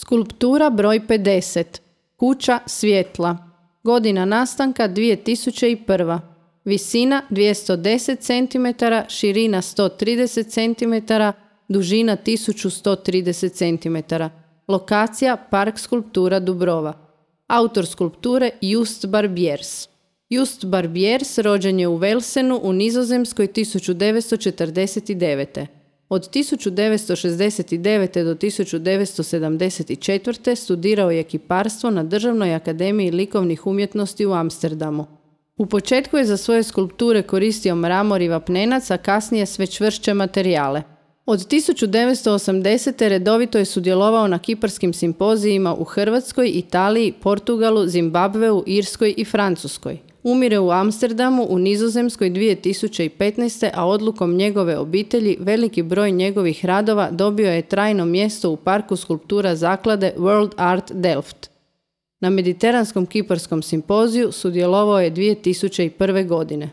Skulptura broj 50. Kuća svjetla. Godina nastanka 2001. Visina 210 cm, širina 130 cm, dužina 1130 cm. Lokacija Park skulptura Dubrova. Autor skulpture Just Barbiers. Just Barbiers rođen je u Velsenu u Nizozemskoj 1949. Od 1969. do 1974. studirao je kiparstvo na Državnoj akademiji likovnih umjetnosti u Amsterdamu. U početku je za svoje skulpture koristio mramor i vapnenac, a kasnije sve čvršće materijale. Od 1980. redovito je sudjelovao na kiparskim simpozijima u Hrvatskoj, Italiji, Portugalu, Zimbabveu, Irskoj i Francuskoj. Umire u Amsterdamu u Nizozemskoj 2015. a odlukom njegove obitelji veliki broj njegovih radova dobio je trajno mjesto u parku skulptura zaklade World Art Delft. Na Mediteranskom kiparskom simpoziju sudjelovao je 2001. godine.